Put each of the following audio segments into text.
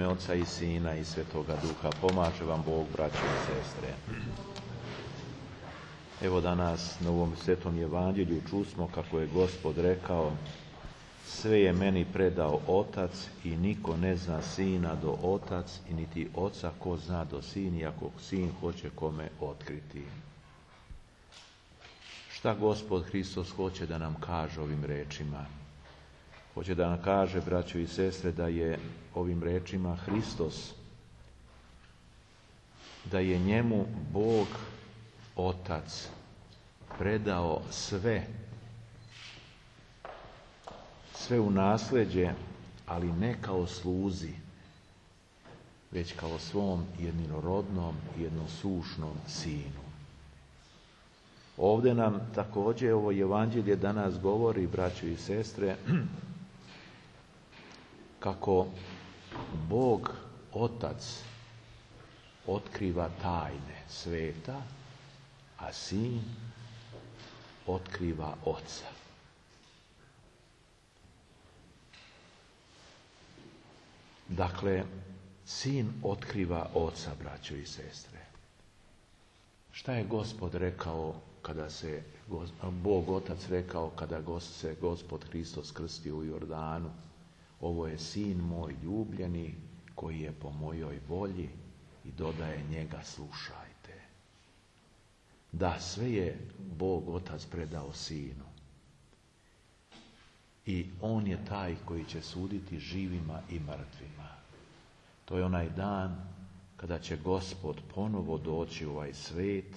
Oca i Sina i Svetoga Duha. Pomaže vam Bog, braćo i sestre. Evo danas na ovom Svetom Evanđelju čusmo kako je Gospod rekao: sve je meni predao Otac i niko ne zna Sina do Otac i niti Oca ko zna do Sin, iako Sin hoće kome otkriti. Šta Gospod Hristos hoće da nam kaže ovim rečima? Hoće da nam kaže, braćo i sestre, da je ovim rečima Hristos, da je njemu Bog Otac predao sve u nasleđe, ali ne kao sluzi, već kao svom jedinorodnom, jednosušnom Sinu. Ovdje nam također ovo Evanđelje danas govori, braćo i sestre, kako Bog Otac otkriva tajne sveta, a Sin otkriva Oca. Dakle, Sin otkriva Oca, braćo i sestre. Šta je Gospod rekao kada se Bog Otac rekao kada se Gospod Hristos krstio u Jordanu? Ovo je Sin moj ljubljeni koji je po mojoj volji, i dodaje njega slušajte. Da, sve je Bog Otac predao Sinu. I on je taj koji će suditi živima i mrtvima. To je onaj dan kada će Gospod ponovo doći u ovaj svet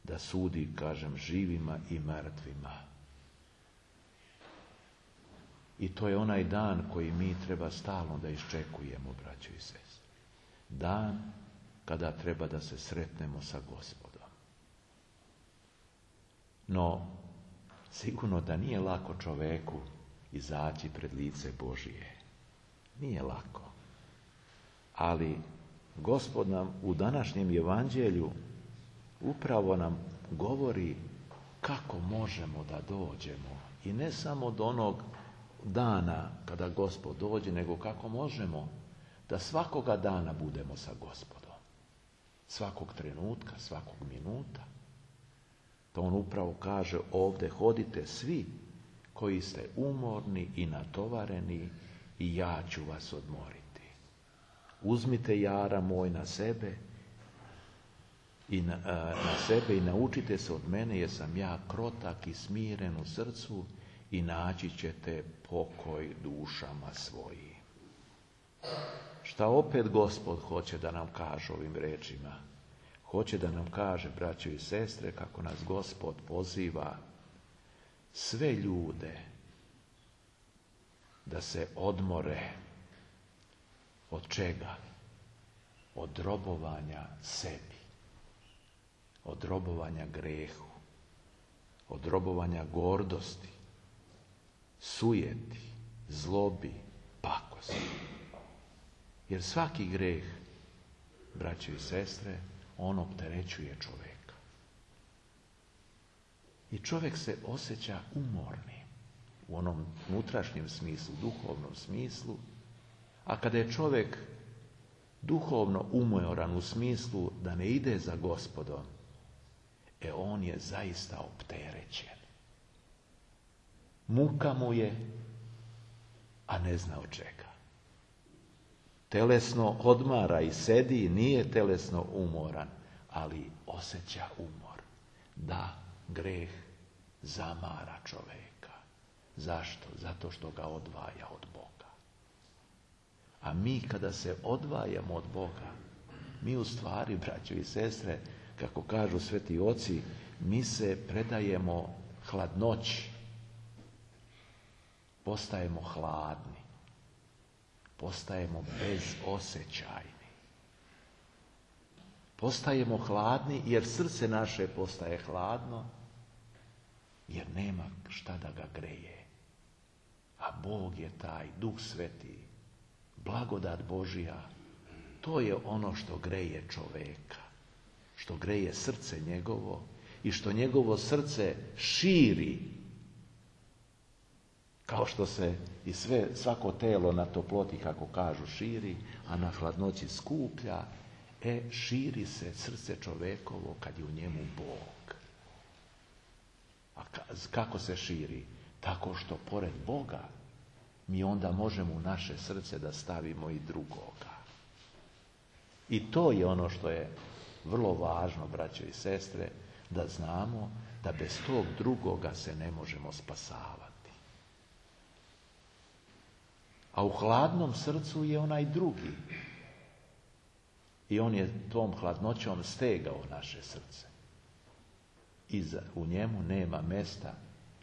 da sudi, kažem, živima i mrtvima. I to je onaj dan koji mi treba stalno da iščekujemo, braćo i sestre. Dan kada treba da se sretnemo sa Gospodom. No, sigurno da nije lako čoveku izaći pred lice Božije. Nije lako. Ali Gospod nam u današnjem Evanđelju upravo nam govori kako možemo da dođemo. I ne samo do onog dana kada Gospod dođe, nego kako možemo da svakoga dana budemo sa Gospodom. Svakog trenutka, svakog minuta. To on upravo kaže ovdje: hodite svi koji ste umorni i natovareni i ja ću vas odmoriti. Uzmite jara moj na sebe i naučite se od mene, jer sam ja krotak i smiren u srcu, i naći ćete pokoj dušama svojim. Šta opet Gospod hoće da nam kaže ovim rečima? Hoće da nam kaže, braćo i sestre, kako nas Gospod poziva sve ljude da se odmore. Od čega? Od robovanja sebi. Od robovanja grehu. Od robovanja gordosti, sujeti, zlobi, pakosti. Jer svaki greh, braćo i sestre, on opterećuje čovjeka. I čovjek se osjeća umorni u onom unutrašnjem smislu, duhovnom smislu. A kada je čovjek duhovno umoran u smislu da ne ide za Gospodom, on je zaista opterećen. Muka mu je, a ne zna od čega. Telesno odmara i sedi, nije telesno umoran, ali osjeća umor. Da, greh zamara čovjeka. Zašto? Zato što ga odvaja od Boga. A mi kada se odvajamo od Boga, mi u stvari, braćo i sestre, kako kažu sveti oci, mi se predajemo hladnoći. Postajemo hladni. Postajemo bezosjećajni. Postajemo hladni jer srce naše postaje hladno, jer nema šta da ga greje. A Bog je taj, Duh Sveti, blagodat Božja, to je ono što greje čoveka, što greje srce njegovo i što njegovo srce širi Kao što se i svako telo na toploti, kako kažu, širi, a na hladnoći skuplja, širi se srce čovekovo kad je u njemu Bog. A kako se širi? Tako što pored Boga mi onda možemo u naše srce da stavimo i drugoga. I to je ono što je vrlo važno, braćo i sestre, da znamo da bez tog drugoga se ne možemo spasavati. A u hladnom srcu je onaj drugi. I on je tom hladnoćom stegao naše srce. I u njemu nema mesta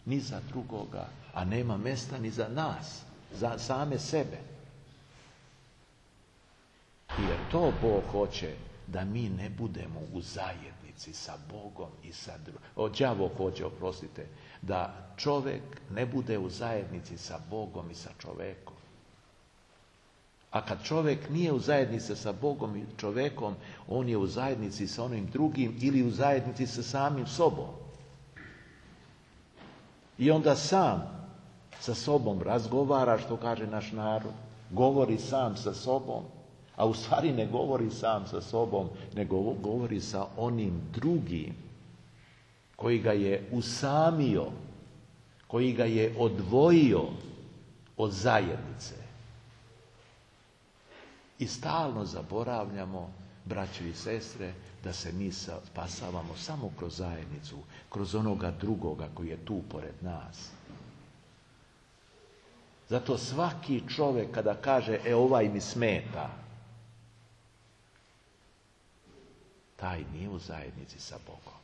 ni za drugoga, a nema mesta ni za nas, za same sebe. Jer to Bog hoće da mi ne budemo u zajednici sa Bogom i sa drugim. Đavo hoće, oprostite, da čovjek ne bude u zajednici sa Bogom i sa čovjekom. A kad čovjek nije u zajednici sa Bogom i čovjekom, on je u zajednici sa onim drugim ili u zajednici sa samim sobom. I onda sam sa sobom razgovara, što kaže naš narod, govori sam sa sobom, a u stvari ne govori sam sa sobom, nego govori sa onim drugim koji ga je usamio, koji ga je odvojio od zajednice. I stalno zaboravljamo, braćo i sestre, da se mi spasavamo samo kroz zajednicu, kroz onoga drugoga koji je tu pored nas. Zato svaki čovjek kada kaže, ovaj mi smeta, taj nije u zajednici sa Bogom.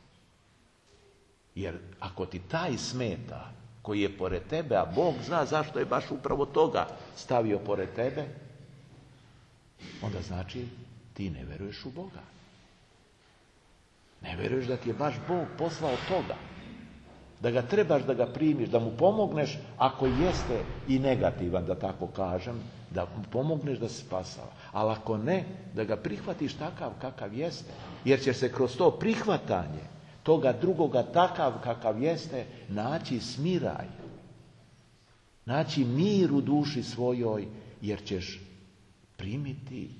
Jer ako ti taj smeta, koji je pored tebe, a Bog zna zašto je baš upravo toga stavio pored tebe, onda znači ti ne vjeruješ u Boga. Ne vjeruješ da ti je baš Bog poslao toga. Da ga trebaš da ga primiš, da mu pomogneš ako jeste i negativan, da tako kažem, da mu pomogneš da se spasava. Ali ako ne, da ga prihvatiš takav kakav jeste. Jer će se kroz to prihvatanje toga drugoga takav kakav jeste naći smiraj. Naći mir u duši svojoj, jer ćeš primiti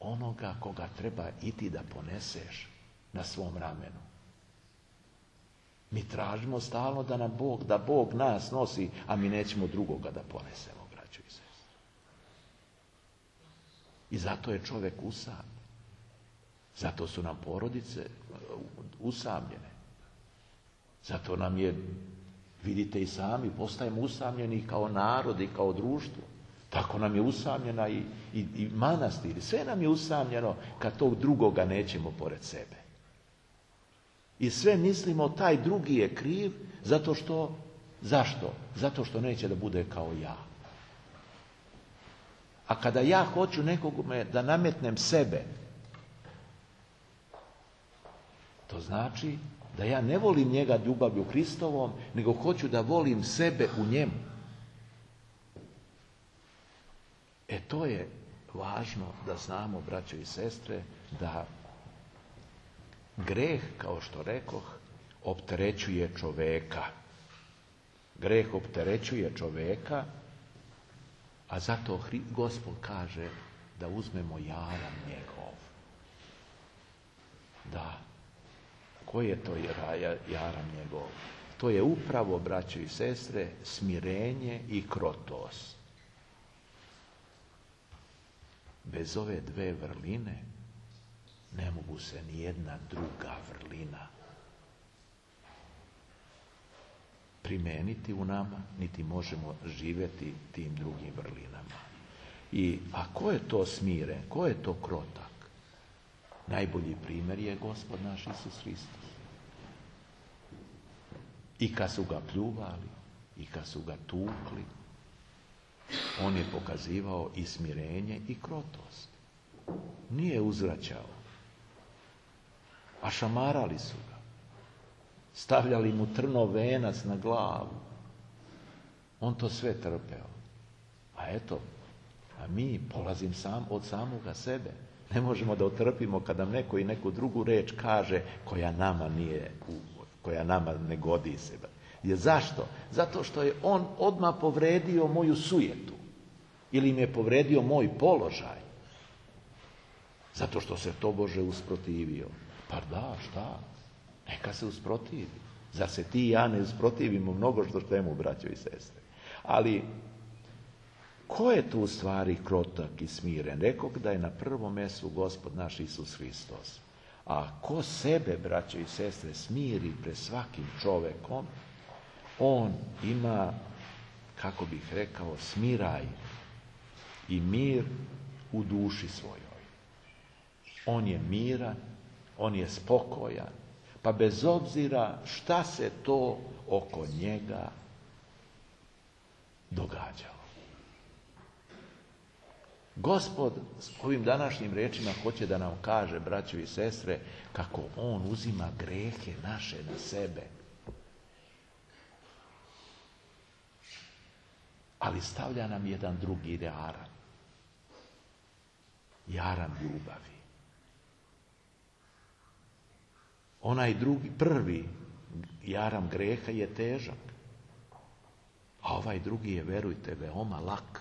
onoga koga treba i ti da poneseš na svom ramenu. Mi tražimo stalno da Bog nas nosi, a mi nećemo drugoga da ponesemo, braćo i sestre. I zato je čovjek usamljen. Zato su nam porodice usamljene. Zato nam je, vidite i sami, postajemo usamljeni kao narod i kao društvo. Tako nam je usamljena i manastir. Sve nam je usamljeno kad tog drugoga nećemo pored sebe. I sve mislimo taj drugi je kriv zato što, zašto? Zato što neće da bude kao ja. A kada ja hoću nekome da nametnem sebe, to znači da ja ne volim njega ljubavlju Hristovom, nego hoću da volim sebe u njemu. To je važno da znamo, braćo i sestre, da greh, kao što rekoh, opterećuje čoveka. Greh opterećuje čoveka, a zato Gospod kaže da uzmemo jaram njegov. Da. Ko je to jaram njegov? To je upravo, braćo i sestre, smirenje i krotost. Bez ove dve vrline ne mogu se ni jedna druga vrlina primeniti u nama, niti možemo živjeti tim drugim vrlinama. A ko je to smiren, ko je to krotak? Najbolji primjer je Gospod naš Isus Hristos. I kad su ga pljuvali, i kad su ga tukli, on je pokazivao i smirenje i krotost. Nije uzvraćao. A šamarali su ga. Stavljali mu trnov venac na glavu. On to sve trpeo. A mi polazim od samoga sebe. Ne možemo da otrpimo kada nam neko i neku drugu reč kaže koja nama ne godi se. je zašto? Zato što je on odmah povredio moju sujetu. Ili mi je povredio moj položaj. Zato što se tobože usprotivio. Pa da, šta? Neka se usprotivi. Zar se ti i ja ne usprotivimo mnogo što štemu, braćo i sestre? Ali, ko je tu u stvari krotak i smiren? Rekao da je na prvom mjestu Gospod naš Isus Hristos. A ko sebe, braćo i sestre, smiri pred svakim čovekom, on ima, kako bih rekao, smiraj i mir u duši svojoj. On je miran, on je spokojan, pa bez obzira šta se to oko njega događalo. Gospod s ovim današnjim rečima hoće da nam kaže, braćo i sestre, kako on uzima grehe naše na sebe. Ali stavlja nam jedan drugi jaram. Jaram ljubavi. Onaj drugi, prvi jaram greha je težak. A ovaj drugi je, verujte, veoma lak.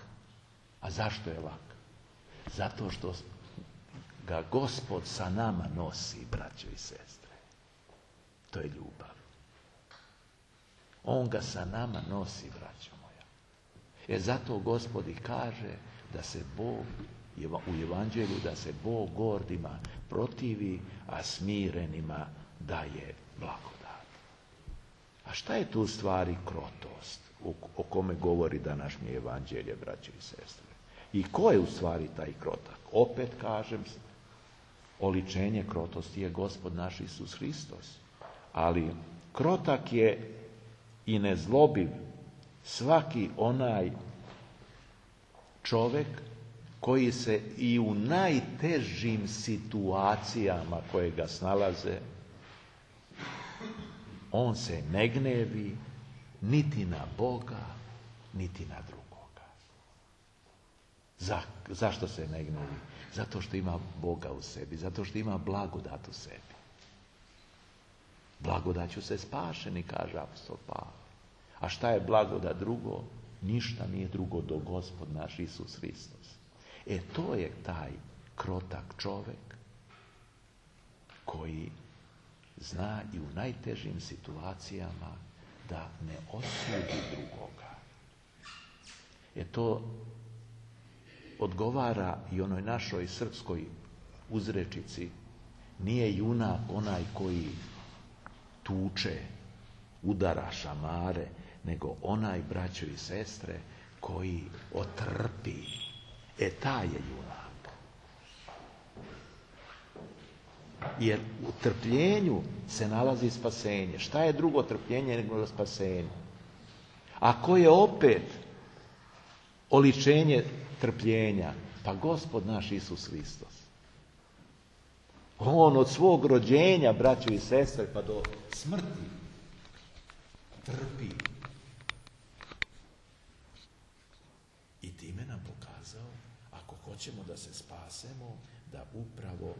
A zašto je lak? Zato što ga Gospod sa nama nosi, braćo i sestre. To je ljubav. On ga sa nama nosi, braćo moja. Zato Gospod i kaže da se Bog, u Evanđelju, da se Bog gordima protivi, a smirenima daje blagodat. A šta je tu u stvari krotost o kome govori današnje Evanđelje, braćo i sestre? I ko je u stvari taj krotak? Opet kažem, oličenje krotosti je Gospod naš Isus Hristos. Ali krotak je i nezlobiv svaki onaj čovjek koji se i u najtežim situacijama koje ga snalaze, on se ne gnevi niti na Boga, niti na drugoga. Zašto se ne gnevi? Zato što ima Boga u sebi, zato što ima blagodat u sebi. Blagodaću se spašeni, kaže apostol Pavle. A šta je blagodat drugo? Ništa nije drugo do Gospod naš Isus Hristos. To je taj krotak čovjek koji zna i u najtežim situacijama da ne osudi drugoga. To odgovara i onoj našoj srpskoj uzrečici: nije junak onaj koji tuče, udara, šamare, nego onaj, braćo i sestre, koji otrpi. Taj je junak. Jer u trpljenju se nalazi spasenje. Šta je drugo trpljenje nego spasenje? A ko je opet oličenje trpljenja? Pa Gospod naš Isus Hristos. On od svog rođenja, braćo i sestre, pa do smrti trpi. I time nam pokazao, ako hoćemo da se spasemo, da upravo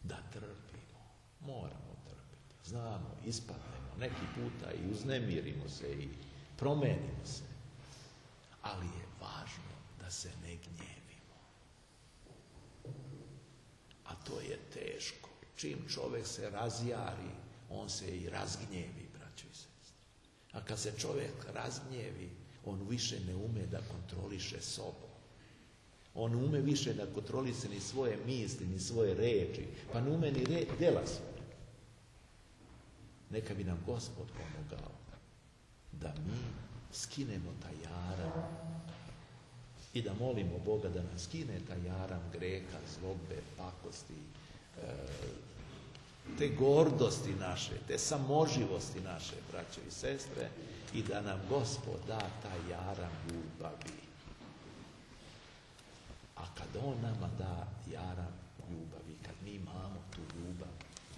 da trpimo. Moramo trpiti. Znamo, ispadnemo, neki puta i uznemirimo se i promenimo se. Ali je važno da se ne gnjevimo. A to je teško. Čim čovjek se razjari, on se i razgnjevi, braćo i sestre. A kad se čovjek razgnjevi, on više ne ume da kontroliše sobom. On ume više da kontroliše ni svoje misli, ni svoje reči, pa ne ume ni djela svoje. Neka bi nam Gospod pomogao da mi skinemo taj jaram i da molimo Boga da nam skine taj jaram greha, zlobe, pakosti, te gordosti naše, te samoživosti naše, braćo i sestre, i da nam Gospod da taj jaram ljubavi. A kad on nama da jaram ljubavi, kad mi imamo tu ljubav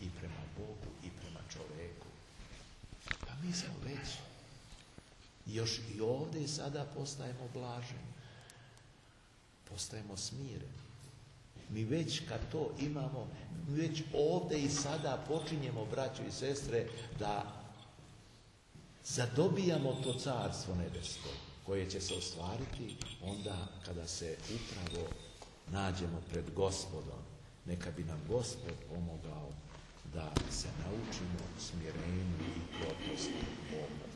i prema Bogu i prema čoveku, pa mi smo već još i ovdje i sada postajemo blaženi, postajemo smireni. Mi već kad to imamo, mi već ovdje i sada počinjemo, braćo i sestre, da zadobijamo to carstvo nebesko koje će se ostvariti onda kada se upravo nađemo pred Gospodom. Neka bi nam Gospod pomogao da se naučimo smirenju i krotosti Boga.